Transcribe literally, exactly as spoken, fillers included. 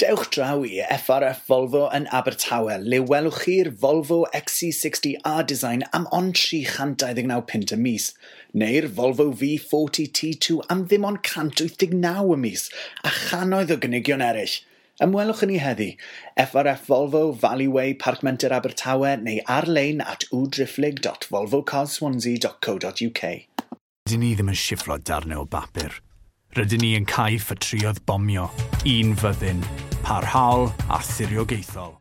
Dewch draw i F R F Volvo yn Abertawe, le welwch chi'r Volvo X C sixty R-Design am ond tri chant dau ddeg naw punt y mis, neu'r Volvo V forty T two am ddim ond cant wyth deg naw y mis, a channoedd o gynigion eraill. Ymwelwch â ni heddi, F R F Volvo, Valley Way, Parc Menter Abertawe, neu ar-lein at w dot volvo cars swansea dot co dot U K. Dyn ni ddim yn sifflo darnau o bapur. Rydyn ni yn cau ffatrïoedd bomio, un fyddin, parhaol a thiriogaethol.